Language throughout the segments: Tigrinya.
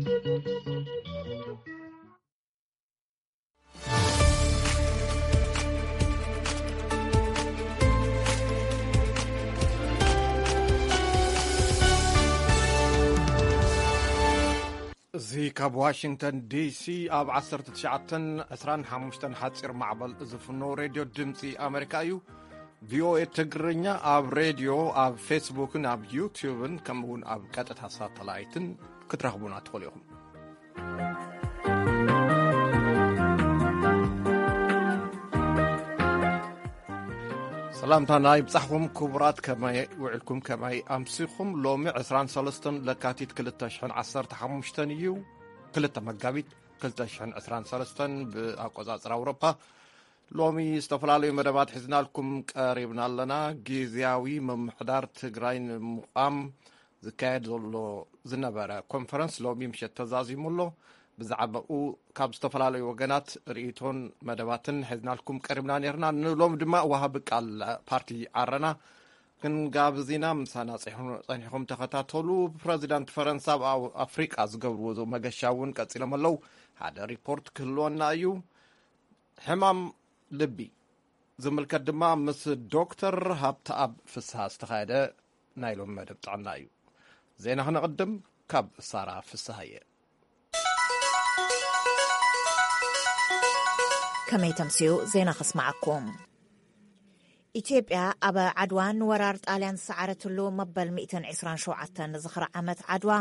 እዚ ካብ ዋሽንግተን ዲሲ ኣብ ዓሰርተ ትሽዓተን ዕስራን ሓሙሽተን ሓጺር ማዕበል ዝፍኖ ሬድዮ ድምጺ ኣመሪካ እዩ። ቪኦኤ ትግርኛ ኣብ ሬድዮ፣ ኣብ ፌስቡክን ኣብ ዩትዩብን ከምኡውን ኣብ ቀጥታ ሳተላይትን ክትረኽቡና ትኽእሉ ኢኹም። ሰላምታና ይብጻሕኩም ክቡራት፣ ከመይ ውዕልኩም፣ ከመይ ኣምሲኹም? ሎሚ ዕስራን ሰለስተን ለካቲት ክልተ ሽሕን ዓሰርተ ሓሙሽተን እዩ፣ ክልተ መጋቢት ክልተ ሽሕን ዕስራን ሰለስተን ብኣቆጻጽራ ኣውሮፓ። ሎሚ ዝተፈላለዩ መደባት ሒዝናልኩም ቀሪብና ኣለና። ግዝያዊ ምምሕዳር ትግራይ ንምቋም ዝካየድ ዘሎ ዝነበረ ኮንፈረንስ ሎሚ ምሸት ተዛዚሙ ኣሎ። ብዛዕባኡ ካብ ዝተፈላለዩ ወገናት ርእይቶን መደባትን ሒዝናልኩም ቀሪብና ነርና። ንሎም ድማ ወሃቢ ቃል ፓርቲ ዓረና ክንጋብዝ ኢና። ምሳና ጸኒሑ-፣ ጸኒሕኩም ተኸታተሉ። ፕረዚዳንት ፈረንሳ ኣብ ኣው-፣ ኣፍሪቃ ዝገብርዎ ዘው መገሻ እውን ቀጺሎም ኣለዉ። ሓደ ሪፖርት ክህልወና እዩ። ሕማም ልቢ ዝምልከት ድማ ምስ ዶክተር ሃብተኣብ ፍስሃ ዝተኻየደ ናይ ሎም መደብ ጥዕና እዩ። ዜና ክነቕድም ካብ ሳራ ፍስሃየ። ከመይ ተምስዩ ዜና ከስማዓኩም። ኢትዮጵያ ኣብ ዓድዋ ንወራር ጣልያን ዝሰዓረትሉ መበል ሚእትን ዕስራን ሸውዓተን ዝኽሪ ዓመት ዓድዋ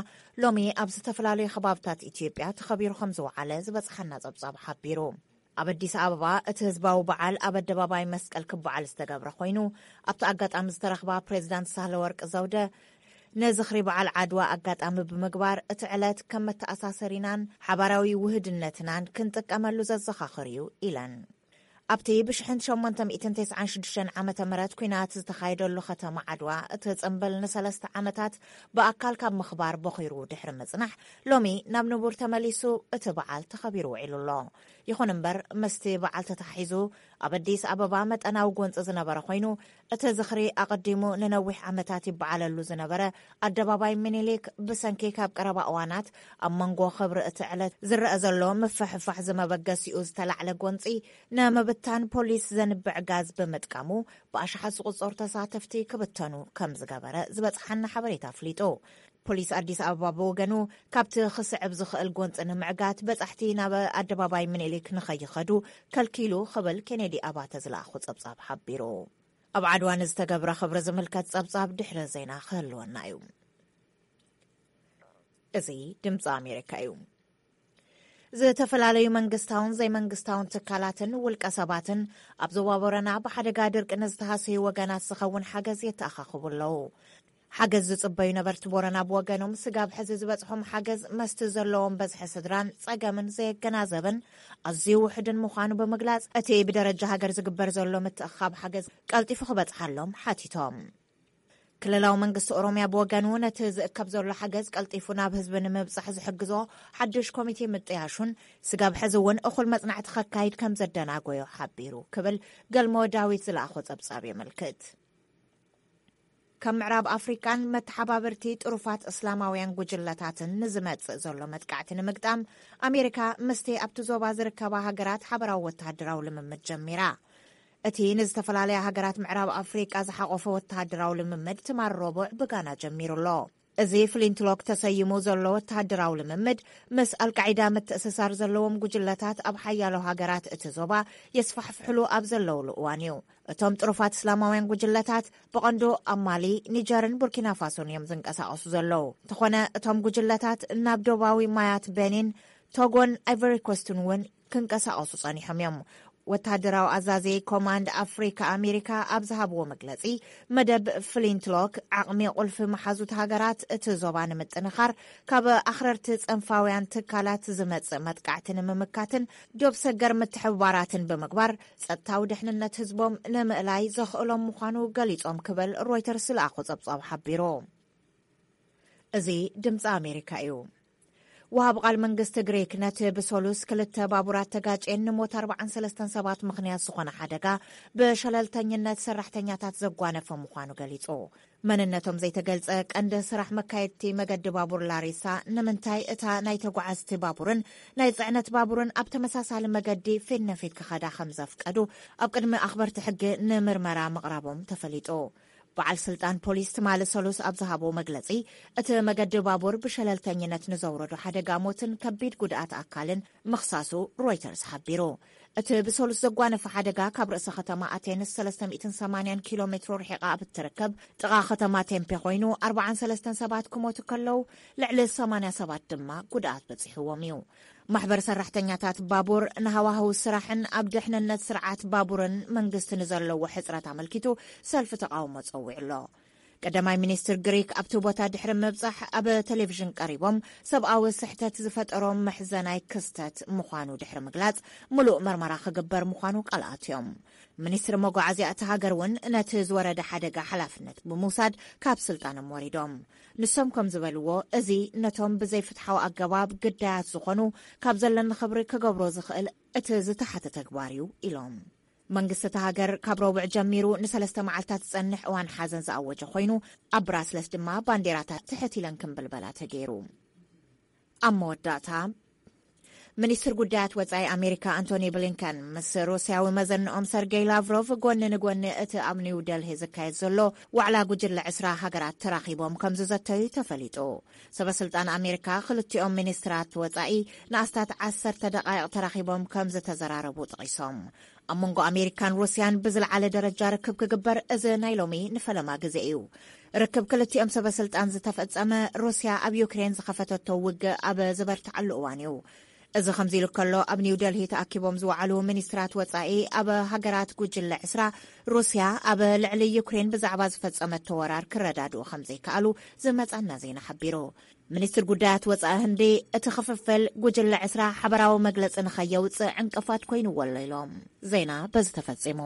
ሎሚ ኣብ ዝተፈላለዩ ከባብታት ኢትዮጵያ ተኸቢሩ ከም ዝወዓለ ዝበጽሓና ጸብጻብ ሓቢሩ። ኣብ ኣዲስ ኣበባ እቲ ህዝባዊ በዓል ኣብ ኣደባባይ መስቀል ክበዓል ዝተገብረ ኮይኑ፣ ኣብቲ ኣጋጣሚ ዝተረኽባ ፕሬዚዳንት ሳህለወርቅ ዘውደ፣ ንዝኽሪ በዓል ዓድዋ ኣጋጣሚ ብምግባር እቲ ዕለት ከም መተኣሳሰሪናን ሓባራዊ ውህድነትናን ክንጥቀመሉ ዘዘኻኽር እዩ ኢለን። ኣብቲ ብሽሕን ሸሞንተ ሚእትን ተስዓን ሽዱሽተን ዓመተ ምህረት ኲናት ዝተኻየደሉ ከተማ ዓድዋ እቲ ጽምብል ንሰለስተ ዓመታት ብኣካል ካብ ምኽባር በኺሩ ድሕሪ ምጽናሕ፣ ሎሚ ናብ ንቡር ተመሊሱ እቲ በዓል ተኸቢሩ ውዒሉ ኣሎ። ይኹን እምበር፣ ምስቲ በዓል ተተሓሒዙ ኣብ ኣዲስ ኣበባ መጠናዊ ጎንጺ ዝነበረ ኮይኑ፣ እቲ ዝኽሪ ኣቐዲሙ ንነዊሕ ዓመታት ይበዓለሉ ዝነበረ ኣደባባይ ምኒልክ ብሰንኪ ካብ ቀረባ እዋናት ኣብ መንጎ ክብሪ እቲ ዕለት ዝረአ ዘሎ ምፍሕፋሕ ዝመበገሲኡ ዝተላዕለ ጎንጺ ንምብታን ፖሊስ ዘንብዕ ጋዝ ብምጥቃሙ ብኣሽሓት ዝቑጸሩ ተሳተፍቲ ክብተኑ ከም ዝገበረ ዝበጽሓና ሓበሬታ ኣፍሊጡ። ፖሊስ ኣዲስ ኣበባ ብወገኑ ካብቲ ክስዕብ ዝኽእል ጎንጺ ንምዕጋት በጻሕቲ ናብ ኣደባባይ ምኒልክ ንኸይኸዱ ከልኪሉ ክብል ኬኔዲ ኣባተ ዝለኣኾ ጸብጻብ ሓቢሩ። ኣብ ዓድዋ ንዝተገብረ ክብሪ ዝምልከት ጸብጻብ ድሕሪ ዜና ክህልወና እዩ። እዚ ድምጺ ኣሜሪካ እዩ። ዝተፈላለዩ መንግስታውን ዘይመንግስታውን ትካላትን ውልቀ ሰባትን ኣብ ዞባ ቦረና ብሓደጋ ድርቂ ንዝተሃሰዩ ወገናት ዝኸውን ሓገዝ የተኣኻኽቡ ኣለዉ። ሓገዝ ዝጽበዩ ነበርቲ ቦረና ብወገኖም፣ ስጋብ ሕዚ ዝበጽሖም ሓገዝ መስቲ ዘለዎም በዝሒ ስድራን ጸገምን ዘየገናዘብን ኣዝዩ ውሑድን ምዃኑ ብምግላጽ፣ እቲ ብደረጃ ሃገር ዝግበር ዘሎ ምትእኻብ ሓገዝ ቀልጢፉ ክበጽሓሎም ሓቲቶም። ክልላዊ መንግስቲ ኦሮሚያ ብወገኑ፣ ነቲ ዝእከብ ዘሎ ሓገዝ ቀልጢፉ ናብ ህዝቢ ንምብጻሕ ዝሕግዞ ሓድሽ ኮሚቴ ምጥያሹን፣ ስጋብ ሕዚ እውን እኹል መጽናዕቲ ከካይድ ከም ዘደናጎዮ ሓቢሩ ክብል ገልሞ ዳዊት ዝለኣኾ ጸብጻብ የመልክት። ካብ ምዕራብ ኣፍሪቃን መተሓባበርቲ ጥሩፋት እስላማውያን ጉጅለታትን ንዝመጽእ ዘሎ መጥቃዕቲ ንምግጣም፣ ኣሜሪካ ምስቲ ኣብቲ ዞባ ዝርከባ ሃገራት ሓበራዊ ወተሃደራዊ ልምምድ ጀሚራ። እቲ ንዝተፈላለያ ሃገራት ምዕራብ ኣፍሪቃ ዝሓቖፈ ወተሃደራዊ ልምምድ ትማል ረቡዕ ብጋና ጀሚሩ ኣሎ። እዚ ፍሊንትሎክ ተሰይሙ ዘሎ ወተሃደራዊ ልምምድ፣ ምስ ኣልቃዒዳ ምትእስሳር ዘለዎም ጉጅለታት ኣብ ሓያሎ ሃገራት እቲ ዞባ የስፋሕፍሕሉ ኣብ ዘለውሉ እዋን እዩ። እቶም ጥሩፋት እስላማውያን ጉጅለታት ብቐንዱ ኣብ ማሊ፣ ኒጀርን ቡርኪና ፋሶን እዮም ዝንቀሳቐሱ ዘለዉ። እንተኾነ፣ እቶም ጉጅለታት ናብ ዶባዊ ማያት ቤኒን፣ ቶጎን ኣይቨሪ ኮስትን እውን ክንቀሳቐሱ ጸኒሖም እዮም። ወተሃደራዊ ኣዛዚ ኮማንድ ኣፍሪካ ኣሜሪካ ኣብ ዝሃብዎ መግለጺ፣ መደብ ፍሊንትሎክ ዓቕሚ ቁልፊ መሓዙት ሃገራት እቲ ዞባ ንምጥንኻር፣ ካብ ኣኽረርቲ ጸንፋውያን ትካላት ዝመጽእ መጥቃዕቲ ንምምካትን ዶብ ሰገር ምትሕብባራትን ብምግባር፣ ጸጥታዊ ድሕንነት ህዝቦም ንምእላይ ዘኽእሎም ምዃኑ ገሊጾም ክብል ሮይተርስ ዝለኣኾ ጸብጻብ ሓቢሩ። እዚ ድምጺ ኣሜሪካ እዩ። ወሃብ ቃል መንግስቲ ግሪክ ነቲ ብሰሉስ ክልተ ባቡራት ተጋጭየን ንሞት ኣርባዓን ሰለስተን ሰባት ምኽንያት ዝኾነ ሓደጋ ብሸለልተኝነት ሰራሕተኛታት ዘጓነፈ ምዃኑ ገሊጹ። መንነቶም ዘይተገልጸ ቀንዲ ስራሕ መካየድቲ መገዲ ባቡር ላሪሳ፣ ንምንታይ እታ ናይ ተጓዓዝቲ ባቡርን ናይ ጽዕነት ባቡርን ኣብ ተመሳሳሊ መገዲ ፊት ንፊት ክኸዳ ከም ዘፍቀዱ ኣብ ቅድሚ ኣኽበርቲ ሕጊ ንምርመራ ምቕራቦም ተፈሊጡ። በዓል ስልጣን ፖሊስ ትማሊ ሰሉስ ኣብ ዝሃቦ መግለጺ፣ እቲ መገዲ ባቡር ብሸለልተኝነት ንዘውረዶ ሓደጋ ሞትን ከቢድ ጉድኣት ኣካልን ምኽሳሱ ሮይተርስ ሓቢሩ። እቲ ብሰሉስ ዘጓነፈ ሓደጋ ካብ ርእሰ ከተማ ኣቴንስ ሰለስተ ሚእትን ሰማንያን ኪሎ ሜትሮ ርሒቓ ኣብ እትርከብ ጥቓ ከተማ ቴምፔ ኮይኑ፣ ኣርባዓን ሰለስተን ሰባት ክሞቱ ከለዉ፣ ልዕሊ ሰማንያ ሰባት ድማ ጉድኣት በጺሕዎም እዩ። ማሕበር ሰራሕተኛታት ባቡር ንሃዋህው ስራሕን ኣብ ድሕንነት ስርዓት ባቡርን መንግስቲ ንዘለዎ ሕጽረት ኣመልኪቱ ሰልፊ ተቓውሞ ጸዊዑ ኣሎ። ቀዳማይ ሚኒስትር ግሪክ ኣብቲ ቦታ ድሕሪ ምብጻሕ ኣብ ቴሌቪዥን ቀሪቦም፣ ሰብኣዊ ስሕተት ዝፈጠሮ መሕዘናይ ክስተት ምዃኑ ድሕሪ ምግላጽ፣ ምሉእ መርመራ ክግበር ምዃኑ ቃል ኣትዮም። ሚኒስትሪ መጓዓዝያ እታ ሃገር እውን ነቲ ዝወረደ ሓደጋ ሓላፍነት ብምውሳድ ካብ ስልጣኖም ወሪዶም። ንሶም ከም ዝበልዎ፣ እዚ ነቶም ብዘይፍትሓዊ ኣገባብ ግዳያት ዝኾኑ ካብ ዘለኒ ክብሪ ክገብሮ ዝኽእል እቲ ዝተሓተ ተግባር እዩ ኢሎም። መንግስቲ እታ ሃገር ካብ ረቡዕ ጀሚሩ ንሰለስተ መዓልታት ዝጸንሕ እዋን ሓዘን ዝኣወጀ ኮይኑ፣ ኣብ ብራስለስ ድማ ባንዴራታት ትሕት ኢለን ክምብልበላ ተገይሩ። ኣብ መወዳእታ፣ ሚኒስትር ጉዳያት ወጻኢ ኣሜሪካ ኣንቶኒ ብሊንከን ምስ ሩስያዊ መዘንኦም ሰርጌይ ላቭሮቭ ጎኒ ንጎኒ እቲ ኣብ ኒው ደልሂ ዝካየድ ዘሎ ዋዕላ ጉጅለ ዕስራ ሃገራት ተራኺቦም ከም ዝዘተዩ ተፈሊጡ። ሰበ ስልጣን ኣሜሪካ ክልቲኦም ሚኒስትራት ወጻኢ ንኣስታት ዓሰርተ ደቓይቕ ተራኺቦም ከም ዝተዘራረቡ ጠቒሶም። ኣብ መንጎ ኣሜሪካን ሩስያን ብዝለዓለ ደረጃ ርክብ ክግበር እዚ ናይ ሎሚ ንፈለማ ግዜ እዩ። ርክብ ክልቲኦም ሰበ ስልጣን ዝተፈጸመ፣ ሩስያ ኣብ ዩክሬን ዝኸፈተቶ ውግእ ኣብ ዝበርትዓሉ እዋን እዩ። እዚ ከምዚ ኢሉ ከሎ፣ ኣብ ኒው ደልሂ ተኣኪቦም ዝወዓሉ ሚኒስትራት ወጻኢ፣ ኣብ ሃገራት ጉጅለ ዕስራ፣ ሩስያ ኣብ ልዕሊ ዩክሬን ብዛዕባ ዝፈጸመቶ ወራር ክረዳድኡ ከም ዘይከኣሉ ዝመጻና ዜና ሓቢሩ። ሚኒስትር ጉዳያት ወጻኢ ህንዲ፣ እቲ ክፍፍል ጉጅለ ዕስራ ሓበራዊ መግለጺ ንኸየውጽእ ዕንቅፋት ኮይኑዎ ኣሎ ኢሎም። ዜና በዚ ተፈጺሙ።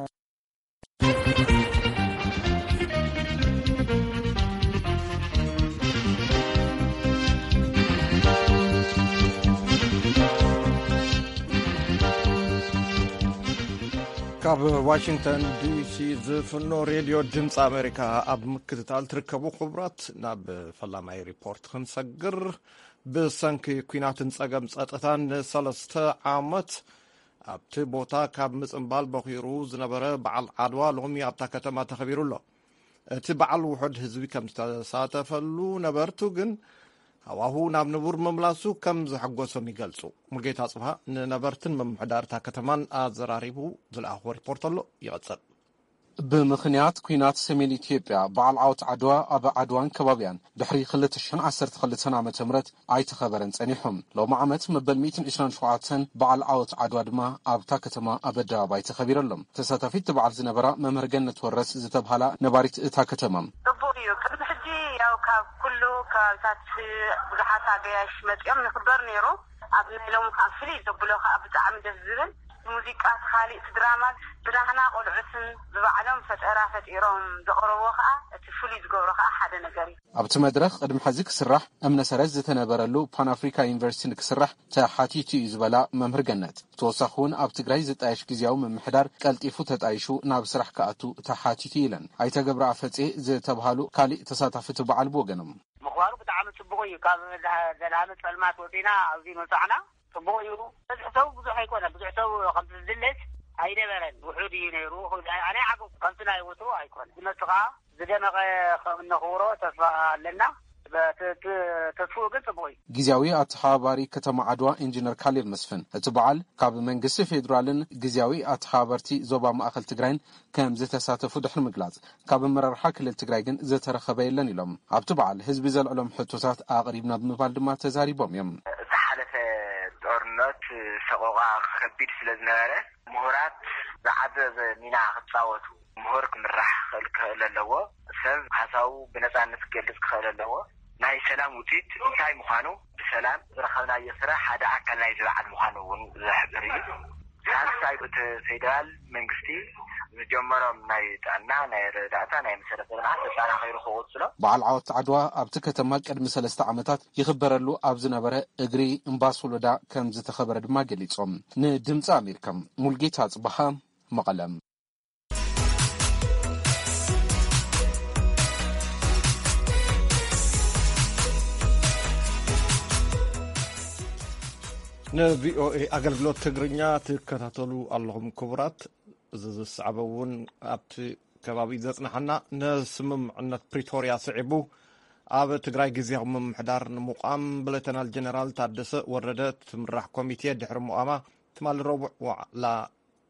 ካብ ዋሽንግተን ዲሲ ዝፍኖ ሬድዮ ድምፂ ኣሜሪካ ኣብ ምክትታል ትርከቡ ክቡራት፣ ናብ ፈላማይ ሪፖርት ክንሰግር። ብሰንኪ ኲናትን ጸገም ጸጥታን ንሰለስተ ዓመት ኣብቲ ቦታ ካብ ምጽንባል በኺሩ ዝነበረ በዓል ዓድዋ ሎሚ ኣብታ ከተማ ተኸቢሩ ኣሎ። እቲ በዓል ውሑድ ህዝቢ ከም ዝተሳተፈሉ፣ ነበርቱ ግን ሃዋሁ ናብ ንቡር ምምላሱ ከም ዘሐጎሶም ይገልጹ። ሙልጌታ ጽብሃ ንነበርትን ምምሕዳር እታ ከተማን ኣዘራሪቡ ዝለኣኽዎ ሪፖርት ኣሎ፣ ይቐጽል። ብምኽንያት ኲናት ሰሜን ኢትዮጵያ፣ በዓል ዓወት ዓድዋ ኣብ ዓድዋን ከባቢያን ድሕሪ ክልተ ሽሕን ዓሰርተ ክልተን ዓመተ ምህረት ኣይተኸበረን ጸኒሑ። ሎሚ ዓመት መበል ሚእትን ዕስራን ሸውዓተን በዓል ዓወት ዓድዋ ድማ ኣብታ ከተማ ኣብ ኣደባባይ ተኸቢሩ ኣሎ። ተሳታፊት እቲ በዓል ዝነበራ መምህር ገነት ወረስ ዝተብሃላ ነባሪት እታ ከተማ፣ ጽቡቕ እዩ። ቅድሚ ሕጂ ያው ካብ ኩሉ ከባቢታት ብዙሓት ኣገያሽ መጺኦም ንኽበር ነይሩ። ኣብ ናይ ሎሚ ከዓ ፍልይ ዘብሎ ከዓ ብጣዕሚ ደስ ዝብል ሙዚቃ፣ እቲ ካሊእ እቲ ድራማ፣ ብናህና ቆልዑትን ብባዕሎም ፈጠራ ፈጢሮም ዘቕረብዎ ከዓ እቲ ፍሉይ ዝገብሮ ከዓ ሓደ ነገር እዩ። ኣብቲ መድረኽ ቅድሚ ሕዚ ክስራሕ እምነ ሰረት ዝተነበረሉ ፓን ኣፍሪካ ዩኒቨርሲቲ ንክስራሕ ተሓቲቱ እዩ ዝበላ መምህር ገነት፣ ብተወሳኺ እውን ኣብ ትግራይ ዝጣየሽ ግዝያዊ ምምሕዳር ቀልጢፉ ተጣይሹ ናብ ስራሕ ክኣቱ ተሓቲቱ ኢለን። ኣይተ ገብረ ኣፈጼ ዝተብሃሉ ካሊእ ተሳታፊ እቲ በዓል ብወገኖም፣ ምኽባሩ ብጣዕሚ ጽቡቕ እዩ። ካብ ዘድሃ-፣ ዘድሃመ ጸልማት ወጺና ኣብዚ መጻዕና ጽቡቕ እዩ። ብዙሕ ሰብ ብዙሕ ኣይኮነ፣ ብዙሕ ሰብ ከምቲ ዝድለስ ኣይነበረን፣ ውሑድ እዩ ነይሩ። ኣነ ይዓግብ፣ ከምቲ ናይ ወትሩ ኣይኮነ። ዝመጽእ ከኣ ዝደመቐ ከም እነኽብሮ ተስፋ ኣለና። በ-፣ ተ-፣ ተ-፣ ተስፍኡ ግን ጽቡቕ እዩ። ግዝያዊ ኣተሓባባሪ ከተማ ዓድዋ ኢንጂነር ካሌብ መስፍን፣ እቲ በዓል ካብ መንግስቲ ፌዴራልን ግዝያዊ ኣተሓባበርቲ ዞባ ማእኸል ትግራይን ከም ዝተሳተፉ ድሕሪ ምግላጽ፣ ካብ ኣመራርሓ ክልል ትግራይ ግን ዝተረኸበ የለን ኢሎም። ኣብቲ በዓል ህዝቢ ዘልዕሎም ሕቶታት ኣቕሪብና ብምባል ድማ ተዛሪቦም እዮም። ዝሓለፈ ጦርነት ሰቆቓ ከቢድ ስለ ዝነበረ፣ ምሁራት ዝዓዘዘ ሚና ክጻወቱ፣ ምሁር ክምራሕ ክኽእል፣ ክኽእል ኣለዎ። ሰብ ሓሳቡ ብነጻነት ክገልጽ ክኽእል ኣለዎ። ናይ ሰላም ውጽኢት እንታይ ምዃኑ፣ ብሰላም ዝረኸብናዮ ስራሕ ሓደ ኣካል ናይዚ በዓል ምዃኑ እውን ዝሕብር እዩ። ሳልሳይ፣ እቲ ፌደራል መንግስቲ ዝጀመሮም ናይ ጥዕና፣ ናይ ረዳእታ፣ ናይ መሰረተ ልምዓት ተጠናኺሩ ክቕፅሎ። በዓል ዓወት ዓድዋ ኣብቲ ከተማ ቅድሚ ሰለስተ ዓመታት ይኽበረሉ ኣብ ዝነበረ እግሪ እምባ ሶሎዳ ከም ዝተኸበረ ድማ ገሊጾም። ንድምፂ ኣሜሪካ ሙልጌታ ጽባሃ፣ መቐለም። ንቪኦኤ ኣገልግሎት ትግርኛ ትከታተሉ ኣለኹም ክቡራት። እዚ ዝሰዕበ እውን ኣብቲ ከባቢ ዘጽናሓና፣ ንስምምዕነት ፕሪቶርያ ስዒቡ ኣብ ትግራይ ግዜያዊ ምምሕዳር ንምቋም ብሌተናል ጀነራል ታደሰ ወረደ ትምራሕ ኮሚቴ ድሕሪ ምቋማ ትማሊ ረቡዕ ዋዕላ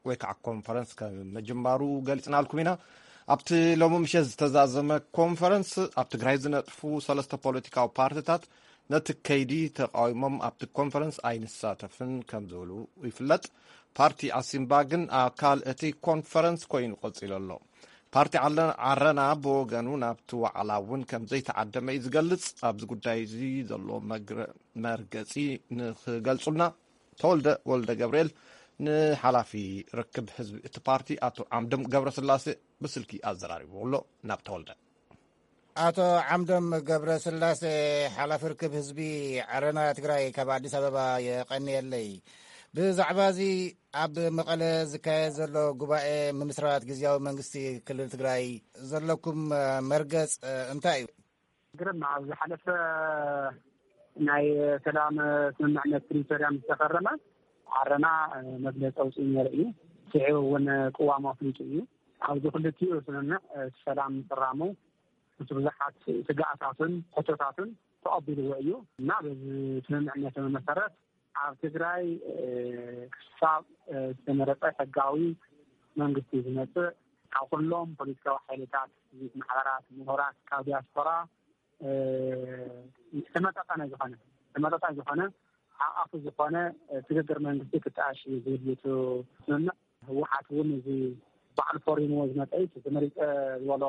ወይ ከዓ ኮንፈረንስ ከም ምጅማሩ ገሊጽናልኩም ኢና። ኣብቲ ሎሚ ምሸት ዝተዛዘመ ኮንፈረንስ ኣብ ትግራይ ዝነጥፉ ሰለስተ ፖለቲካዊ ፓርቲታት ነቲ ከይዲ ተቃዊሞም ኣብቲ ኮንፈረንስ ኣይንሳተፍን ከም ዝብሉ ይፍለጥ። ፓርቲ ኣሲምባ ግን ኣካል እቲ ኮንፈረንስ ኮይኑ ቀጺሉ ኣሎ። ፓርቲ ዓለ-፣ ዓረና ብወገኑ ናብቲ ዋዕላ እውን ከም ዘይተዓደመ እዩ ዝገልጽ። ኣብዚ ጉዳይ እዚ ዘሎ መግረ-፣ መርገጺ ንኽገልጹልና ተወልደ ወልደ ገብርኤል ንሓላፊ ርክብ ህዝቢ እቲ ፓርቲ ኣቶ ዓምዶም ገብረስላሴ ብስልኪ ኣዘራሪቡ ኣሎ። ናብ ተወልደ። ኣቶ ዓምዶም ገብረስላሴ፣ ሓላፊ ርክብ ህዝቢ ዓረና ትግራይ፣ ካብ ኣዲስ ኣበባ የቐንየለይ። ብዛዕባ እዚ ኣብ መቐለ ዝካየድ ዘሎ ጉባኤ ምምስራት ግዝያዊ መንግስቲ ክልል ትግራይ ዘለኩም መርገጽ እንታይ እዩ? ግርም፣ ኣብ ዝሓለፈ ናይ ሰላም ስምምዕነት ፕሪቶርያ ምስ ተፈረመ፣ ዓረና መግለፂ ኣውፂኡ ነይሩ እዩ። ስዒቡ እውን ቅዋሙ ኣፍሊጡ እዩ። ኣብዚ ክልቲኡ ስምምዕ እቲ ሰላም ምፍራሙ፣ እቲ ብዙሓት ስጋኣታቱን ሕቶታቱን ተቐቢልዎ እዩ እና በዚ ስምምዕነት መሰረት ኣብ ትግራይ፣ እ፣ ክሳብ፣ እ፣ ዝተመረጸ ሕጋዊ መንግስቲ ዝመጽእ፣ ካብ ኩሎም ፖለቲካዊ ሓይልታት፣ ሲቪክ ማሕበራት፣ ምሁራት፣ ካብ ዲያስፖራ፣ እ፣ ዝተመጣጠነ ዝኾነ፣ ዝተመጣጠነ ዝኾነ፣ ሓቓፊ ዝኾነ፣ እ፣ ስግግር መንግስቲ ክጣየሽ እዩ ዝብል እዩ እቲ ስምምዕ። ህወሓት እውን እዚ ባዕሉ ፈሪምዎ ዝመጸ እዩ። እቲ ተመሪጸ ዝበሎ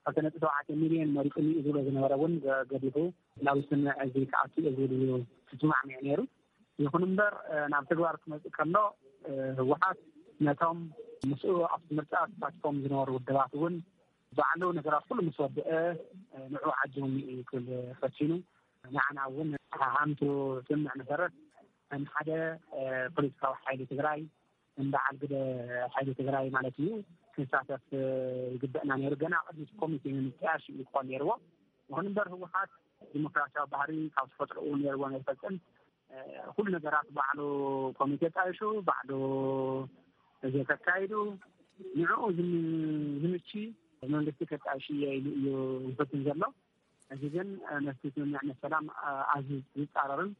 ክልተ ነጥቢ ሸውዓተ ሚልዮን መሪጹኒ እዩ ዝብሎ ዝነበረ እውን ገ-፣ ገዲፉ ናብ ስምምዕ እዚ ክኣቱ እየ ዝብል እዩ ተስማዕሚዑ ነይሩ። ይኹን እምበር፣ እ፣ ናብ ተግባር ክመጽእ ከሎ፣ እ፣ ህወሓት ነቶም ምስኡ ኣብቲ ምርጫ ተሳቲፎም ዝነበሩ ውድባት እውን ባዕሉ ነገራት ኩሉ ምስ ወድአ፣ እ፣ ንዕኡ ዓጅቡኒ እዩ ክብል ፈቲኑ። ንዓና እውን ሃምቱ ስምምዕ መሰረት ከም ሓደ፣ እ፣ ፖለቲካዊ ሓይሊ ትግራይ፣ እንበዓል ግደ ሓይሊ ትግራይ ማለት እዩ፣ ክንሳተፍ ይግበአና ነይሩ። ገና ቅድሚ እቲ ኮሚቴ ምምጥያሽ እዩ ክኾን ነይርዎ። ይኹን እምበር ህወሓት ዲሞክራሲያዊ ባህሪ ካብ ተፈጥሮኡ ነይርዎ ነይፈጽም። እ፣ ኩሉ ነገራት ባዕሉ ኮሚቴ ጣይሹ፣ ባዕሉ እዚ ተካይዱ፣ ንዕኡ ዝም-፣ ዝምቺ መንግስቲ ከጣይሽ እየ ኢሉ እዩ ዝፍትን ዘሎ። እዚ ግን፣ እ፣ ነቲ ስምምዕነት ሰላም፣ እ፣ ኣዝዩ ዝጻረርን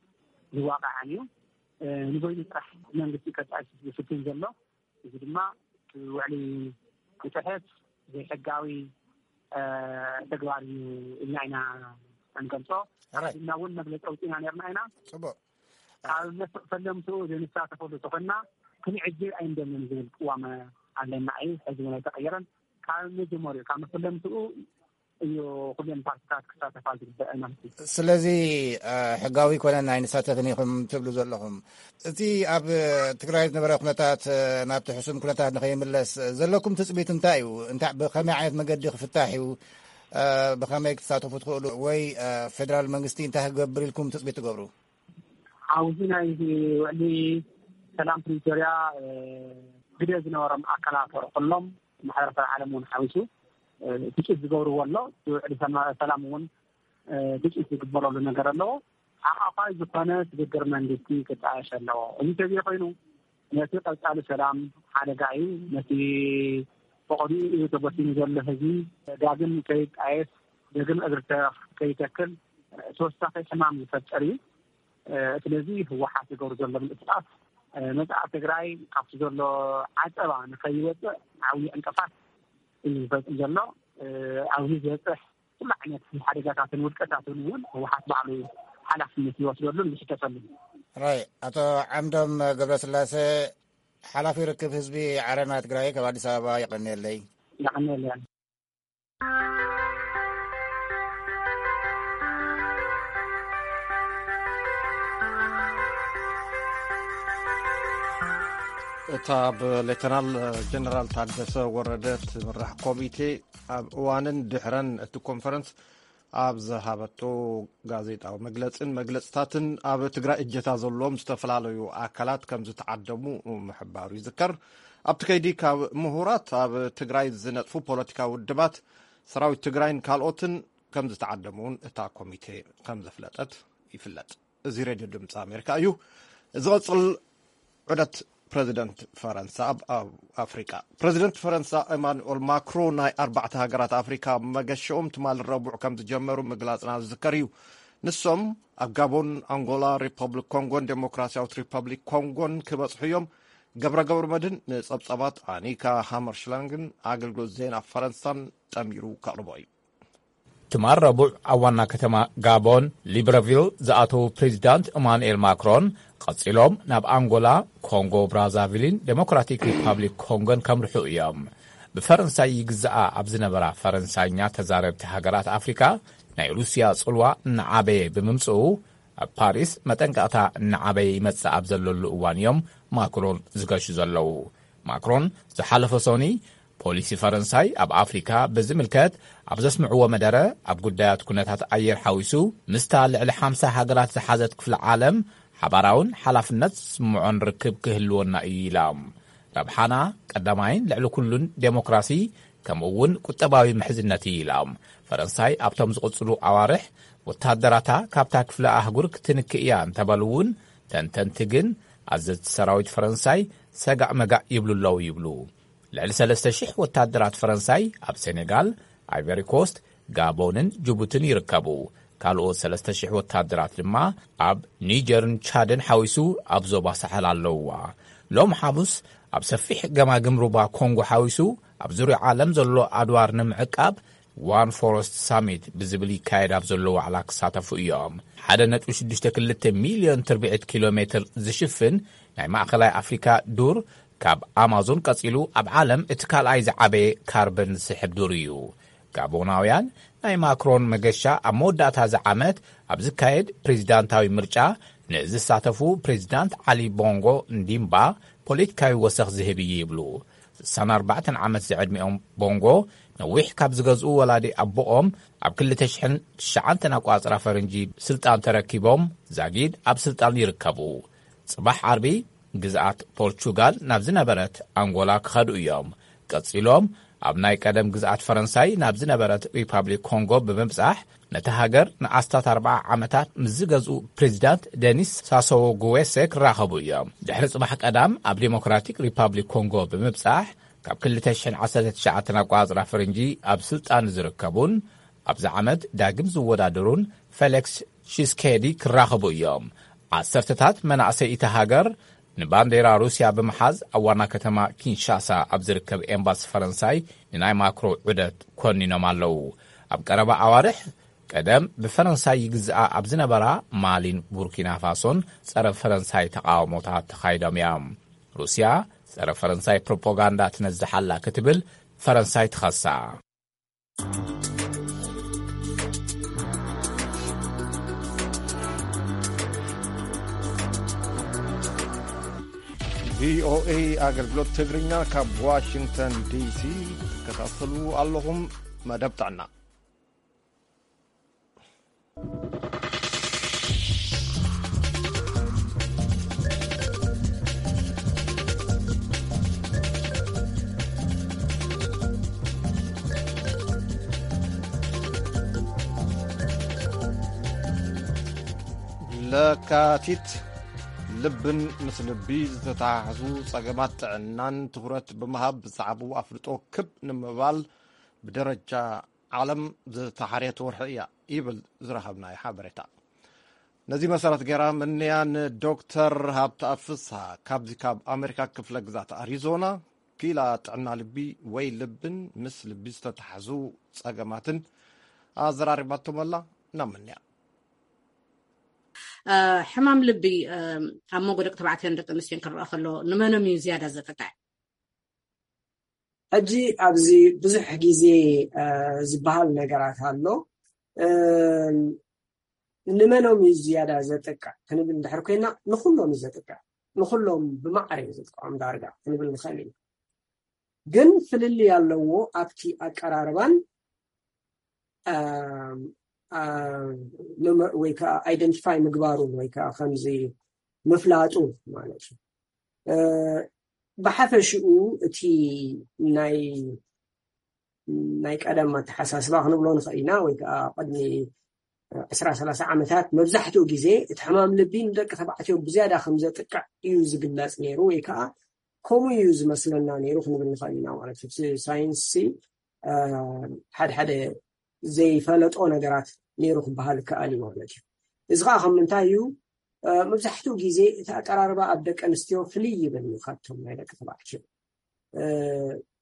ዝዋቃዕን እዩ። እ፣ ንበይኑ ጥራሕ መንግስቲ ከጣይሽ ዝፍትን ዘሎ። እዚ ድማ እቲ ውዕሊ ክጥሕስ ዘይሕጋዊ፣ እ፣ ተግባር እዩ ኢልና ኢና እንገልጾ። ሕራይ። ኣሕሊፍና እውን መግለጺ ኣውጺእና ነርና ኢና። ጽቡቕ። ካብ መስ-፣ ፈለምትኡ ዘይንሳተፈሉ ተኾንና ክንዕጅብ ኣይንደልን ዝብል ቅዋም ኣለና እዩ። ሕዚ እውን ኣይተቐየረን። ካብ መጀመሪኡ፣ ካብ መፈለምትኡ እዩ ኩለን ፓርቲታት ክሳተፋ ዝግበአን ማለት እዩ። ስለዚ፣ እ፣ ሕጋዊ ኣይኮነን ኣይንሳተፍን ኢኹም ትብሉ ዘለኹም። እቲ ኣብ ትግራይ ዝነበረ ኩነታት፣ እ፣ ናብቲ ሕሱም ኩነታት ንኸይምለስ ዘለኩም ትጽቢት እንታይ እዩ? እንታይ፣ ብኸመይ ዓይነት መገዲ ክፍታሕ እዩ? እ፣ ብኸመይ ክትሳተፉ ትኽእሉ? ወይ፣ እ፣ ፌደራል መንግስቲ እንታይ ክገብር ኢልኩም ትጽቢት ትገብሩ? ኣብዚ ናይ ውዕሊ ሰላም ፕሪቶርያ፣ እ፣ ግደ ዝነበሮም ኣካላት ኩሎም ማሕበረሰብ ዓለም እውን ሓዊሱ፣ እ፣ ትጽቢት ዝገብርዎ ኣሎ። እቲ ውዕሊ ሰማ-፣ ሰላም እውን፣ እ፣ ትጽቢት ዝግበረሉ ነገር ኣለዎ። ሓቋፋይ ዝኾነ ስግግር መንግስቲ ክጣየሽ ኣለዎ። እዚ እንተዘይኮይኑ፣ ነቲ ቀጻሊ ሰላም ሓደጋ እዩ። ነቲ ብቐዲኡ እዩ ተበቲኑ ዘሎ ህዝቢ ዳግም ከይጣየስ፣ ዳግም እግሪ ከይተክል፣ ተወሳኺ ሕማም ዝፈጥር እዩ። እ፣ ስለዚ ህወሓት ዝገብሩ ዘሎ ምንቅስቃስ፣ እ፣ መጻኢ ትግራይ ካብቲ ዘሎ ዓጸባ ንኸይወጽእ ዓብዪ ዕንቅፋት እዩ ዝፈጽም ዘሎ። እ፣ ኣብዚ ዝበጽሕ ኩሉ ዓይነት ሓደጋታትን ውድቀታትን እውን ህወሓት ባዕሉ ሓላፍነት ይወስደሉን ይሕተተሉን። ራይ፣ ኣቶ ዓምዶም ገብረስላሴ፣ ሓላፊ ርክብ ህዝቢ ዓረና ትግራይ፣ ካብ ኣዲስ ኣበባ የቐንየለይ። የቐንየለይ። እታ ብሌተናል ጀነራል ታደሰ ወረደ ትምራሕ ኮሚቴ ኣብ እዋንን ድሕረን እቲ ኮንፈረንስ ኣብ ዝሃበቶ ጋዜጣዊ መግለጽን መግለጽታትን፣ ኣብ ትግራይ እጀታ ዘለዎም ዝተፈላለዩ ኣካላት ከም ዝተዓደሙ ምሕባሩ ይዝከር። ኣብቲ ከይዲ ካብ ምሁራት፣ ኣብ ትግራይ ዝነጥፉ ፖለቲካዊ ውድባት፣ ሰራዊት ትግራይን ካልኦትን ከም ዝተዓደሙ እውን እታ ኮሚቴ ከም ዘፍለጠት ይፍለጥ። እዚ ሬድዮ ድምፂ ኣሜሪካ እዩ። ዝቐፅል ዑደት ፕረዚደንት ፈረንሳ ኣብ፣ ኣብ ኣፍሪቃ። ፕረዚደንት ፈረንሳ ኤማኑኤል ማክሮ ናይ ኣርባዕተ ሃገራት ኣፍሪካ መገሸኦም ትማሊ ረቡዕ ከም ዝጀመሩ ምግላፅና ዝዝከር እዩ። ንሶም ኣብ ጋቦን፣ ኣንጎላ፣ ሪፐብሊክ ኮንጎን ዴሞክራሲያዊት ሪፐብሊክ ኮንጎን ክበፅሑ እዮም። ገብረ ገብረ መድህን ንፀብፀባት ኣኒካ ሃመርሽላንግን ኣገልግሎት ዜና ፈረንሳን ጠሚሩ ከቕርቦ እዩ። ትማል ረቡዕ ኣብ ዋና ከተማ ጋቦን ሊብረቪል ዝኣተዉ ፕሬዚዳንት ኢማኑኤል ማክሮን፣ ቀጺሎም ናብ ኣንጎላ፣ ኮንጎ ብራዛቪልን ዴሞክራቲክ ሪፓብሊክ ኮንጎን ከምርሑ እዮም። ብፈረንሳይ ይግዝኣ ኣብ ዝነበራ ፈረንሳይኛ ተዛረብቲ ሃገራት ኣፍሪካ ናይ ሩስያ ጽልዋ እናዓበየ ብምምጽኡ፣ ኣብ ፓሪስ መጠንቀቕታ እናዓበየ ይመጽእ ኣብ ዘለሉ እዋን እዮም ማክሮን ዝገሹ ዘለዉ። ማክሮን ዝሓለፈ ሶኒ ፖሊሲ ፈረንሳይ ኣብ ኣፍሪካ ብዝምልከት ኣብ ዘስምዕዎ መደረ፣ ኣብ ጉዳያት ኩነታት ኣየር ሓዊሱ ምስታ ልዕሊ ሓምሳ ሃገራት ዝሓዘት ክፍለ ዓለም ሓባራውን ሓላፍነት ዝስምዖን ርክብ ክህልወና እዩ ኢሎም። ረብሓና ቀዳማይን ልዕሊ ኩሉን ዴሞክራሲ ከምኡ እውን ቁጠባዊ ምሕዝነት እዩ ኢሎም። ፈረንሳይ ኣብቶም ዝቕጽሉ ኣዋርሕ ወታደራታ ካብታ ክፍለ ኣህጉር ክትንክእ እያ እንተበሉ እውን፣ ተንተንቲ ግን ኣዘዝቲ ሰራዊት ፈረንሳይ ሰጋእ መጋእ ይብሉ ኣለዉ ይብሉ። ልዕሊ ሰለስተ ሽሕ ወታደራት ፈረንሳይ ኣብ ሴኔጋል፣ ኣይቨሪ ኮስት፣ ጋቦንን ጅቡትን ይርከቡ። ካልኦት ሰለስተ ሽሕ ወታደራት ድማ ኣብ ኒጀርን ቻድን ሓዊሱ ኣብ ዞባ ሳሕል ኣለውዋ። ሎም ሓሙስ ኣብ ሰፊሕ ገማግም ሩባ ኮንጎ ሓዊሱ ኣብ ዙርያ ዓለም ዘሎ ኣድዋር ንምዕቃብ ዋን ፎረስት ሳሚት ብዝብል ይካየድ ኣብ ዘሎ ዋዕላ ክሳተፉ እዮም። ሓደ ነጥቢ ሽዱሽተ ክልተ ሚልዮን ትርብዒት ኪሎ ሜትር ዝሽፍን ናይ ማእኸላይ ኣፍሪካ ዱር ካብ ኣማዞን ቀጺሉ ኣብ ዓለም እቲ ካልኣይ ዝዓበየ ካርበን ዝስሕብ ዱር እዩ። ጋቦናውያን ናይ ማክሮን መገሻ ኣብ መወዳእታ እዚ ዓመት ኣብ ዝካየድ ፕሬዚዳንታዊ ምርጫ ንዝሳተፉ ፕሬዚዳንት ዓሊ ቦንጎ እንዲምባ ፖለቲካዊ ወሰኽ ዝህብ እዩ ይብሉ። ስሳን ኣርባዕተን ዓመት ዝዕድሚኦም ቦንጎ ነዊሕ ካብ ዝገዝኡ ወላዲ ኣቦኦም ኣብ ክልተ ሽሕን ትሽዓተን ኣቋጽራ ፈረንጂ ስልጣን ተረኪቦም ዛጊድ ኣብ ስልጣን ይርከቡ። ጽባሕ ዓርቢ ግዝኣት ፖርቹጋል ናብ ዝነበረት ኣንጎላ ክኸዱ እዮም። ቀጺሎም ኣብ ናይ ቀደም ግዝኣት ፈረንሳይ ናብ ዝነበረት ሪፓብሊክ ኮንጎ ብምብጻሕ ነቲ ሃገር ንኣስታት ኣርብዓ ዓመታት ምስ ዝገዝኡ ፕሬዚዳንት ደኒስ ሳሶዎ ጉዌሴ ክራኸቡ እዮም። ድሕሪ ጽባሕ ቀዳም ኣብ ዴሞክራቲክ ሪፓብሊክ ኮንጎ ብምብጻሕ ካብ ክልተ ሽሕን ዓሰርተ ትሽዓተን ኣቋጽራ ፈረንጂ ኣብ ስልጣን ዝርከቡን ኣብዚ ዓመት ዳግም ዝወዳደሩን ፌሊክስ ሺስኬዲ ክራኸቡ እዮም። ዓሰርተታት መናእሰይ እታ ሃገር ንባንዴራ ሩስያ ብምሓዝ ኣብ ዋና ከተማ ኪንሻሳ ኣብ ዝርከብ ኤምባሲ ፈረንሳይ ንናይ ማክሮ ዑደት ኮኒኖም ኣለዉ። ኣብ ቀረባ ኣዋርሕ ቀደም ብፈረንሳይ ይግዝኣ ኣብ ዝነበራ ማሊን ቡርኪና ፋሶን ጸረ ፈረንሳይ ተቓውሞታት ተኻይዶም እዮም። ሩስያ ጸረ ፈረንሳይ ፕሮፓጋንዳ ትነዝሕ ኣላ ክትብል ፈረንሳይ ትኸሳ። ቪኦኤ ኣገልግሎት ትግርኛ ካብ ዋሽንግተን ዲሲ ትከታተሉ ኣለኹም። መደብ ጥዕና። ለካቲት፣ ልብን ምስ ልቢ ዝተተሓሓዙ ጸገማት ጥዕናን ትኹረት ብምሃብ ብዛዕባኡ ኣፍልጦ ክብ ንምባል ብደረጃ ዓለም ዝተሓርየት ወርሒ እያ ይብል ዝረኸብናዮ ሓበሬታ። ነዚ መሰረት ገይራ ምንያ ንዶክተር ሃብተኣብ ፍስሃ ካብዚ ካብ ኣሜሪካ ክፍለ ግዛት ኣሪዞና ክኢላ ጥዕና ልቢ ወይ ልብን ምስ ልቢ ዝተተሓዙ ጸገማትን ኣዘራሪባቶም ኣላ። ናብ ምንያ። ሕማም ልቢ ኣብ መንጎ ደቂ ተባዕትዮን ደቂ ኣንስትዮን ክረአ ከሎ ንመኖም እዩ ዝያዳ ዘጥቅዕ? ሕጂ ኣብዚ ብዙሕ ግዜ ዝበሃል ነገራት ኣሎ። ንመኖም እዩ ዝያዳ ዘጥቅዕ ክንብል እንድሕር ኮይና ንኩሎም እዩ ዘጥቅዕ። ንኩሎም ብማዕረ እዩ ዘጥቅዖም ዳርጋ ክንብል ንኽእል ኢና። ግን ፍልልይ ኣለዎ ኣብቲ ኣቀራርባን ወይ ከዓ ኣይደንቲፋይ ምግባሩን ወይ ከዓ ከምዚ ምፍላጡ ማለት እዩ። ብሓፈሽኡ እቲ ናይ ናይ ቀደም ኣተሓሳስባ ክንብሎ ንኽእል ኢና። ወይ ከዓ ቅድሚ ዕስራ ሰላሳ ዓመታት መብዛሕትኡ ግዜ እቲ ሕማም ልቢ ንደቂ ተባዕትዮ ብዝያዳ ከም ዘጥቅዕ እዩ ዝግለጽ ነይሩ፣ ወይ ከዓ ከምኡ እዩ ዝመስለና ነይሩ ክንብል ንኽእል ኢና ማለት እዩ። ሳይንስ ሓደ ሓደ ዘይፈለጦ ነገራት ነይሩ ክበሃል ይከኣል እዩ ማለት እዩ። እዚ ከዓ ከም ምንታይ እዩ? መብዛሕትኡ ግዜ እቲ ኣቀራርባ ኣብ ደቂ ኣንስትዮ ፍልይ ይብል እዩ ካብቶም ናይ ደቂ ተባዕትዮ።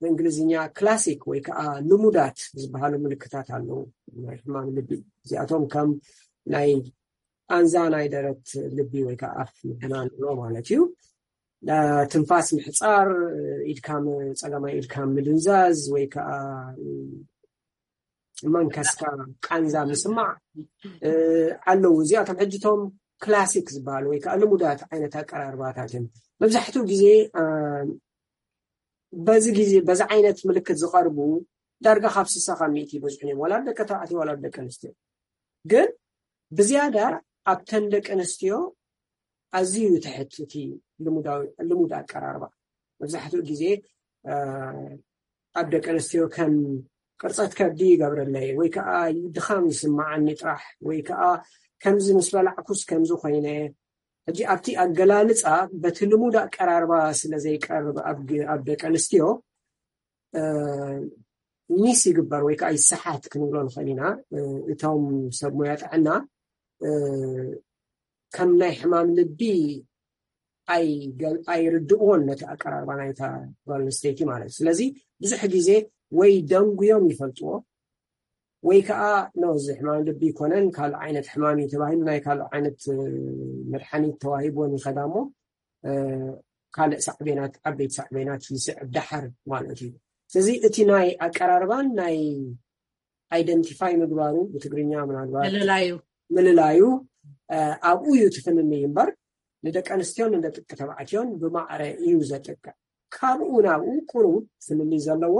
ብእንግሊዝኛ ክላሲክ ወይ ከዓ ልሙዳት ዝበሃሉ ምልክታት ኣለዉ ናይ ሕማም ልቢ። እዚኣቶም ከም ናይ ቃንዛ ናይ ደረት ልቢ ወይ ከዓ ኣፍ ምድናን ማለት እዩ። ትንፋስ ምሕፃር፣ ኢድካ ጸጋማይ ኢድካ ምድንዛዝ ወይ ከዓ መንከስካ ቃንዛ ምስማዕ ኣለዉ። እዚኣቶም ሕጅቶም ክላሲክ ዝበሃሉ ወይ ከዓ ልሙዳት ዓይነት ኣቀራርባታት እዮም። መብዛሕትኡ ግዜ በዚ ግዜ በዚ ዓይነት ምልክት ዝቐርቡ ዳርጋ ካብ ስሳ ካብ ሚእቲ ይበዝሑ እዮም፣ ዋላ ደቂ ተባዕትዮ ዋላ ደቂ ኣንስትዮ። ግን ብዝያዳ ኣብተን ደቂ ኣንስትዮ ኣዝዩ ትሕት እቲ ልሙድ ኣቀራርባ። መብዛሕትኡ ግዜ ኣብ ደቂ ኣንስትዮ ከም ቅርፀት ከብዲ ይገብረለይ ወይ ከዓ ድኻም ይስማዓኒ ጥራሕ ወይ ከዓ ከምዚ ምስ በላዕኩስ ከምዚ ኮይነ። ሕጂ ኣብቲ ኣገላልፃ በቲ ልሙድ ኣቀራርባ ስለ ዘይቀርብ ኣብ ደቂ ኣንስትዮ ሚስ ይግበር ወይ ከዓ ይሰሓት ክንብሎ ንኽእል ኢና። እቶም ሰብ ሞያ ጥዕና ከም ናይ ሕማም ልቢ ኣይርድእዎን ነቲ ኣቀራርባ ናይታ ጓል ኣንስተይቲ ማለት እዩ። ስለዚ ብዙሕ ግዜ ወይ ደንጉዮም ይፈልጥዎ ወይ ከዓ ኖ እዚ ሕማም ልቢ ይኮነን ካልእ ዓይነት ሕማም እዩ ተባሂሉ ናይ ካልእ ዓይነት መድሓኒት ተዋሂብዎን ይኸዳ እሞ ካልእ ሳዕቤናት ዓበይቲ ሳዕቤናት ይስዕብ ዳሓር ማለት እዩ። ስለዚ እቲ ናይ ኣቀራርባን ናይ ኣይደንቲፋይ ምግባሩ ብትግርኛ ምናልባት ምልላዩ ምልላዩ ኣብኡ እዩ ትፍልልይ እምበር ንደቂ ኣንስትዮን ንደቂ ተባዕትዮን ብማዕረ እዩ ዘጥቅዕ። ካብኡ ናብኡ ቁሩብ ፍልልይ ዘለዎ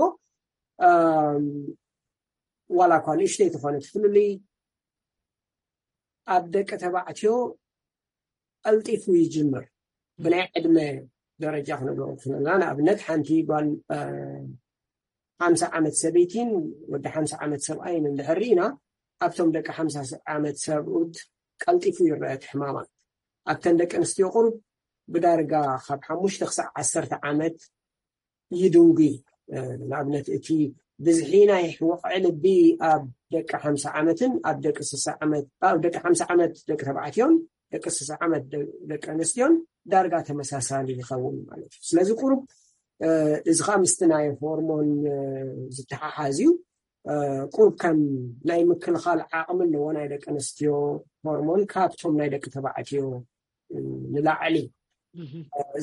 ዋላ እኳ ንእሽተይ ዝኾነ ትፍልልይ ኣብ ደቂ ተባዕትዮ ቀልጢፉ ይጅምር። ብናይ ዕድመ ደረጃ ክንብሎ ክንልና ንኣብነት ሓንቲ ጓል ሓምሳ ዓመት ሰበይቲን ወዲ ሓምሳ ዓመት ሰብኣይን እንድሕር ርኢና ኣብቶም ደቂ ሓምሳ ዓመት ሰብኡት ቀልጢፉ ይረአ እቲ ሕማማት። ኣብተን ደቂ ኣንስትዮ ቁሩብ ብዳርጋ ካብ ሓሙሽተ ክሳዕ ዓሰርተ ዓመት ይድንጉ። ንኣብነት እቲ ብዝሒ ናይ ወቕዒ ልቢ ኣብ ደቂ ሓምሳ ዓመትን ኣብ ደቂ ስሳ ዓመት ኣብ ደቂ ሓምሳ ዓመት ደቂ ተባዕትዮን ደቂ ስሳ ዓመት ደቂ ኣንስትዮን ዳርጋ ተመሳሳሊ ይኸውን ማለት እዩ። ስለዚ ቁሩብ እዚ ከዓ ምስቲ ናይ ሆርሞን ዝተሓሓዝ እዩ። ቁሩብ ከም ናይ ምክልኻል ዓቕሚ ኣለዎ ናይ ደቂ ኣንስትዮ ሆርሞን ካብቶም ናይ ደቂ ተባዕትዮ ንላዕሊ።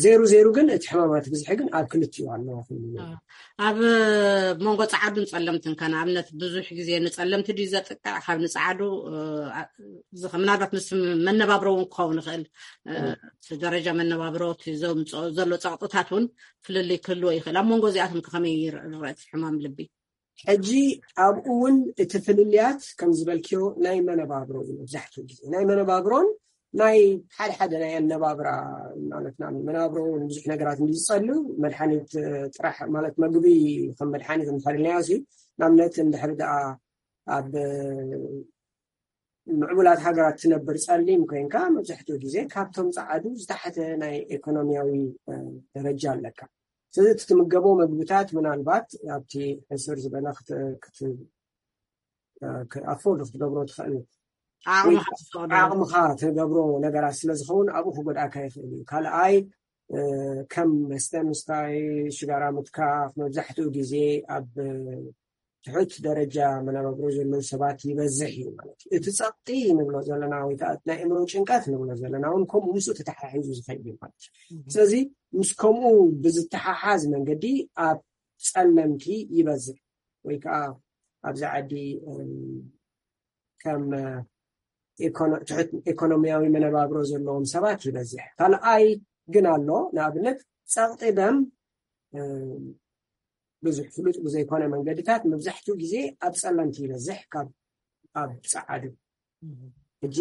ዜሩ ዜሩ ግን እቲ ሕማማት ብዝሒ ግን ኣብ ክልቲኡ ኣለዎ። ኣብ መንጎ ፃዓዱን ፀለምትን ከ ንኣብነት ብዙሕ ግዜ ንፀለምቲ ድዩ ዘጥቅዕ ካብ ንፃዓዱ ምናልባት ምስ መነባብሮ እውን ክኸውን ይኽእል። ደረጃ መነባብሮ ዘሎ ፀቕጥታት እውን ፍልልይ ክህልዎ ይኽእል። ኣብ መንጎ እዚኣቶም ከመይ ይረአ እቲ ሕማም ልቢ? ሕጂ ኣብኡ እውን እቲ ፍልልያት ከም ዝበልክዮ ናይ መነባብሮ እዩ። መብዛሕትኡ ግዜ ናይ መነባብሮን ናይ ሓደ ሓደ ናይ ኣነባብራ ማለት ና መነባብሮ እውን ብዙሕ ነገራት እንዲ ዝፀሉ መድሓኒት ጥራሕ ማለት መግቢ ከም መድሓኒት እንተልናዮ ሲ ንኣብነት እንድሕር ደኣ ኣብ ምዕቡላት ሃገራት ትነብር ፀሊም ኮይንካ መብዛሕትኡ ግዜ ካብቶም ፀዓዱ ዝተሓተ ናይ ኢኮኖሚያዊ ደረጃ ኣለካ። ስለዚ እቲ ትምገቦ መግብታት ምናልባት ኣብቲ ሕስር ዝበለ ኣፎርድ ክትገብሮ ትኽእል ዓቕምኻ ትገብሮ ነገራት ስለዝኸውን ኣብኡ ክጎድኣካ ይኽእል እዩ። ካልኣይ ከም መስተ ምስታይ ሽጋራ ምትካኽ መብዛሕትኡ ግዜ ኣብ ትሑት ደረጃ መነባብሮ ዘለዉ ሰባት ይበዝሕ እዩ ማለት እዩ። እቲ ፀቕጢ ንብሎ ዘለና ወይ ከዓ ናይ እምሮ ጭንቀት ንብሎ ዘለና እውን ከምኡ ምስኡ ተተሓሒዙ ዝኸይድ እዩ ማለት እዩ። ስለዚ ምስ ከምኡ ብዝተሓሓዝ መንገዲ ኣብ ፀለምቲ ይበዝሕ ወይ ከዓ ኣብዚ ዓዲ ከም ትሑት ኢኮኖሚያዊ መነባብሮ ዘለዎም ሰባት ይበዝሕ። ካልኣይ ግን ኣሎ። ንኣብነት ጸቕጢ ደም ብዙሕ ፍሉጥ ብዘይኮነ መንገድታት መብዛሕትኡ ግዜ ኣብ ጸለምቲ ይበዝሕ ካብ ኣብ ጸዓዱ። ሕጂ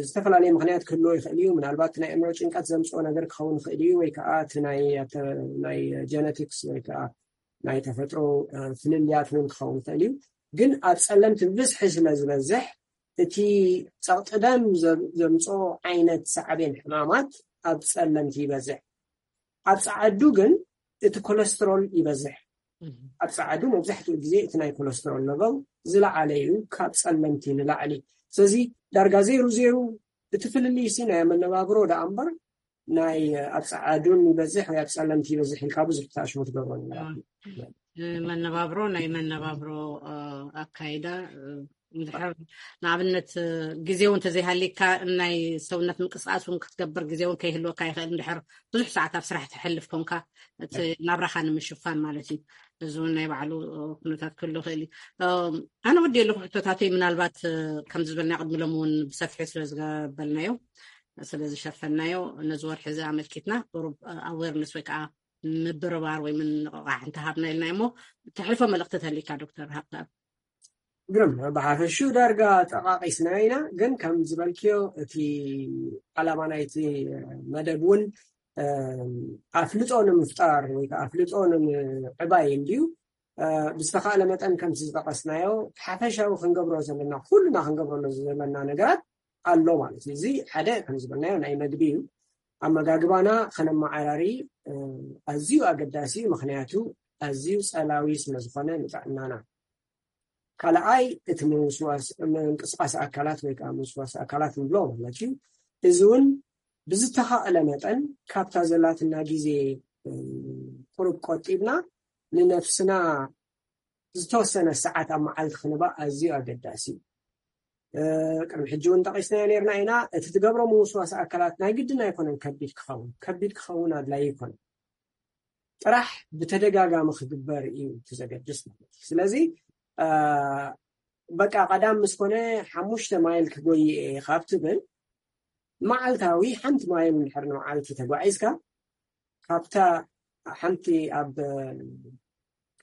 ዝተፈላለየ ምክንያት ክህልዎ ይኽእል እዩ። ምናልባት ናይ ኣእምሮ ጭንቀት ዘምፅኦ ነገር ክኸውን ይኽእል እዩ፣ ወይ ከዓ እቲ ናይ ጀነቲክስ ወይ ከዓ ናይ ተፈጥሮ ፍልልያት እውን ክኸውን ይኽእል እዩ። ግን ኣብ ጸለምቲ ብብዝሒ ስለ ዝበዝሕ እቲ ጸቕጢ ደም ዘምፅኦ ዓይነት ሳዕቤን ሕማማት ኣብ ጸለምቲ ይበዝሕ። ኣብ ጸዓዱ ግን እቲ ኮለስትሮል ይበዝሕ። ኣብ ጸዓዱ መብዛሕትኡ ግዜ እቲ ናይ ኮለስትሮል ለቨል ዝለዓለ እዩ፣ ካብ ጸለምቲ ንላዕሊ። ስለዚ ዳርጋ ዜሩ ዜሩ እቲ ፍልልይ ሲ ናይ መነባብሮ ደኣ እምበር ናይ ኣብ ጸዓዱን ይበዝሕ ወይ ኣብ ጸለምቲ ይበዝሕ ኢልካ ብዙሕ ተኣሽሙ ትገብሮ ነገር መነባብሮ ናይ መነባብሮ ኣካይዳ ንኣብነት ግዜ እውን ተዘይሃሊካ ናይ ሰውነት ምንቅስቃስ እውን ክትገብር ግዜ እውን ከይህልወካ ይኽእል። እንድሕር ብዙሕ ሰዓት ኣብ ስራሕ ትሕልፍ ኮንካ እቲ ናብራኻ ንምሽፋን ማለት እዩ። እዚ እውን ናይ ባዕሉ ኩነታት ክህሉ ይኽእል እዩ። ኣነ ወዲ ኣለኹ ሕቶታተይ ምናልባት ከም ዝበልና ቅድሚ ሎም እውን ብሰፊሑ ስለ ዝገበልናዮ ስለ ዝሸፈናዮ ነዚ ወርሒ እዚ ኣመልኪትና ቁሩብ ኣዌርነስ ወይ ከዓ ምብርባር ወይ ምንቕቓሕ እንተሃብና ኢልና እሞ ተሕልፎ መልእኽቲ ተሊካ ዶክተር ሃብተኣብ። ግርም ብሓፈሹ ዳርጋ ጠቃቂስና ኢና፣ ግን ከም ዝበልክዮ እቲ ዓላማ ናይቲ መደብ እውን ኣፍልጦ ንምፍጣር ወይ ከዓ ኣፍልጦ ንምዕባይ እንድዩ። ብዝተኻእለ መጠን ከምቲ ዝጠቀስናዮ ሓፈሻዊ ክንገብሮ ዘለና ኩልና ክንገብረሉ ዘለና ነገራት ኣሎ ማለት እዩ። እዚ ሓደ ከም ዝበልናዮ ናይ መግቢ እዩ። ኣመጋግባና ከነመዓራሪ ኣዝዩ ኣገዳሲ እዩ፣ ምክንያቱ ኣዝዩ ጸላዊ ስለ ዝኾነ ንጥዕናና። ካልኣይ እቲ ምንቅስቃስ ኣካላት ወይ ከዓ ምንስዋስ ኣካላት ንብሎ ማለት እዩ። እዚ እውን ብዝተኻእለ መጠን ካብታ ዘላትና ግዜ ቁሩብ ቆጢብና ንነፍስና ዝተወሰነ ሰዓት ኣብ መዓልቲ ክንባእ ኣዝዩ ኣገዳሲ እዩ። ቅድሚ ሕጂ እውን ጠቂስናዮ ነርና ኢና። እቲ ትገብሮ ምውስዋስ ኣካላት ናይ ግድን ኣይኮነን ከቢድ ክኸውን፣ ከቢድ ክኸውን ኣድላይ ይኮነ ጥራሕ ብተደጋጋሚ ክግበር እዩ እቲ ዘገድስ ማለት እዩ። ስለዚ በቃ ቀዳም ምስ ኮነ ሓሙሽተ ማይል ክጎይ እየ ካብ ትብል መዓልታዊ ሓንቲ ማይል እንድሕር ንመዓልቲ ተጓዒዝካ ካብታ ሓንቲ ኣብ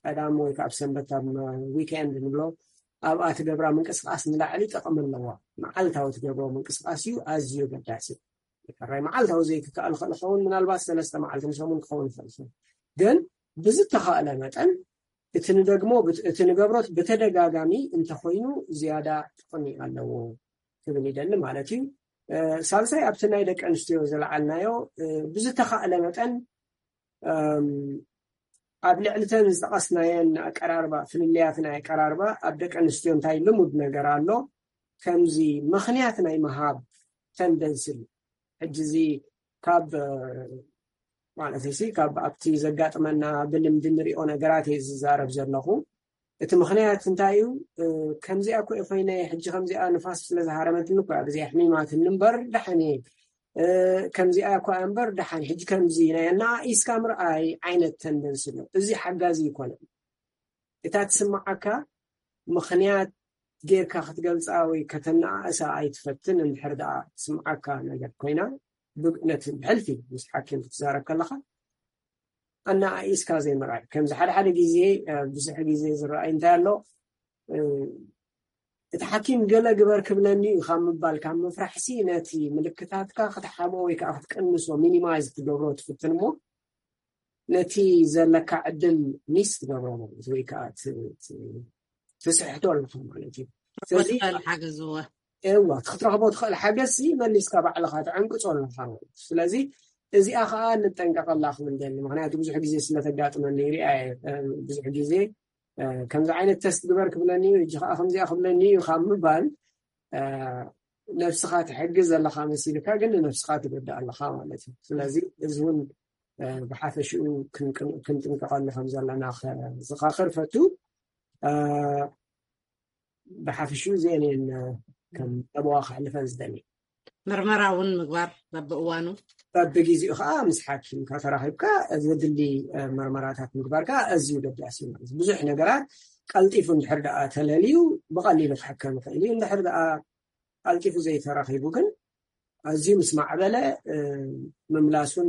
ቀዳም ወይ ካብ ሰንበት ኣብ ዊኬንድ ንብሎ ኣብኣ ትገብራ ምንቅስቃስ ንላዕሊ ጥቕሚ ኣለዋ። መዓልታዊ ትገብሮ ምንቅስቃስ እዩ ኣዝዩ ገዳሲ። ሕራይ መዓልታዊ ዘይክከኣል ክእል ኸውን ምናልባት ሰለስተ መዓልቲ ንሰሙን ክኸውን ይኽእል ግን ብዝተኻእለ መጠን እቲ ንደግሞ እቲ ንገብሮት ብተደጋጋሚ እንተኮይኑ ዝያዳ ጥቕሚ ኣለዎ ክብል ይደሊ ማለት እዩ። ሳልሳይ ኣብቲ ናይ ደቂ ኣንስትዮ ዝለዓልናዮ ብዝተኻእለ መጠን ኣብ ልዕልተን ዝጠቐስናየን ኣቀራርባ ፍልልያት ናይ ኣቀራርባ ኣብ ደቂ ኣንስትዮ እንታይ ልሙድ ነገር ኣሎ ከምዚ ምኽንያት ናይ ምሃብ ተንደንስል ሕጂ እዚ ካብ ማለት ሲ ካብ ኣብቲ ዘጋጥመና ብልምዲ ንሪኦ ነገራት እየ ዝዛረብ ዘለኹ። እቲ ምኽንያት እንታይ እዩ? ከምዚኣ እኮ ኮይነ ሕጂ ከምዚኣ ንፋስ ስለ ዝሃረመትኒ እኮ ኣብዚ ኣሕሚማትኒ እምበር ደሓን እየ። ከምዚኣ እኳ እምበር ደሓን ሕጂ ከምዚ ናይ ኣነኣኢስካ ምርኣይ ዓይነት ተንደንስ ኣሎ። እዚ ሓጋዚ ይኮነ። እታ ትስምዓካ ምኽንያት ጌርካ ክትገልፃ ወይ ከተነኣእሳ ኣይትፈትን። እንድሕር ደኣ ትስምዓካ ነገር ኮይና ነቲ ብሕልፊ ምስ ሓኪም ክትዛረብ ከለካ ኣነኣኢስካ ዘይምርኣይ። ከምዚ ሓደ ሓደ ግዜ ብዙሕ ግዜ ዝረኣይ እንታይ ኣሎ እቲ ሓኪም ገለ ግበር ክብለኒ እዩ ካብ ምባል ካብ ምፍራሕሲ ነቲ ምልክታትካ ክትሓብኦ ወይ ከዓ ክትቅንሶ ሚኒማይዝ ክትገብሮ ትፍትን እሞ ነቲ ዘለካ ዕድል ሚስ ትገብሮ ማለት ወይ ከዓ ትስሕቶ ኣለካ ማለት እዩ። ስለዚ ሓገዝዎ እዋ ክትረኽቦ ትኽእል ሓገዝሲ መሊስካ ባዕልካ ትዕንቅፆ ኣለካ ማለት እዩ። ስለዚ እዚኣ ከዓ ንጠንቀቀላ ክብል ደሊ ምክንያቱ ብዙሕ ግዜ ስለተጋጥመኒ ሪኣ ብዙሕ ግዜ ከምዚ ዓይነት ተስት ግበር ክብለኒ እዩ ሕጂ ከዓ ከምዚኣ ክብለኒ እዩ ካብ ምባል ነብስኻ ትሕግዝ ዘለካ መሲልካ ግን ንነብስኻ ትጎድእ ኣለካ ማለት እዩ። ስለዚ እዚ እውን ብሓፈሽኡ ክንጥንቀቀሉ ከም ዘለና ዝኻኽር ፈቱ። ብሓፈሽኡ እዚአን እየን ከም ጠበዋ ክሕልፈን ዝደሊ። ምርመራ እውን ምግባር በብእዋኑ በብግዜኡ ከዓ ምስ ሓኪምካ ተራኺብካ ዘድሊ መርመራታት ምግባር ከዓ ኣዝዩ ገዳሲ እዩ ማለት ብዙሕ ነገራት ቀልጢፉ እንድሕር ደኣ ተለልዩ ብቐሊሉ ክሕከም ይኽእል እዩ። እንድሕር ደኣ ቀልጢፉ ዘይተረኺቡ ግን ኣዝዩ ምስ ማዕበለ ምምላሱን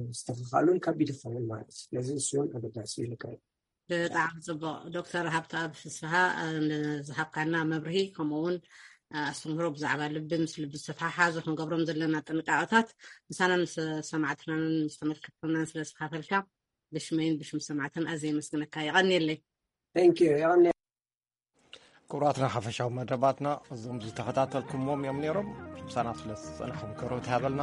ምስትኽኻሉን ከቢድ ይኸውን ማለት እዩ። ስለዚ እሱን ኣገዳሲ ይልካ። ብጣዕሚ ፅቡቕ። ዶክተር ሃብተኣብ ፍስሃ ንዝሃብካና መብርሂ ከምኡውን ኣስተምህሮ ብዛዕባ ልቢ ምስ ልቢ ዝተተሓሓዙ ክንገብሮም ዘለና ጥንቃቐታት ምሳናን ምስ ሰማዕትናን ምስ ተመልከትናን ስለ ዝካፈልካ ብሽመይን ብሽም ሰማዕትን ኣዝየ የመስግነካ። የቐንየለይ። Thank you። የቐንየ ክቡራትና ሓፈሻዊ መደባትና እዞም ዝተኸታተልኩምዎም እዮም ነይሮም። ምሳና ስለ ዝፀናሕኩም ክብረት ይሃበልና።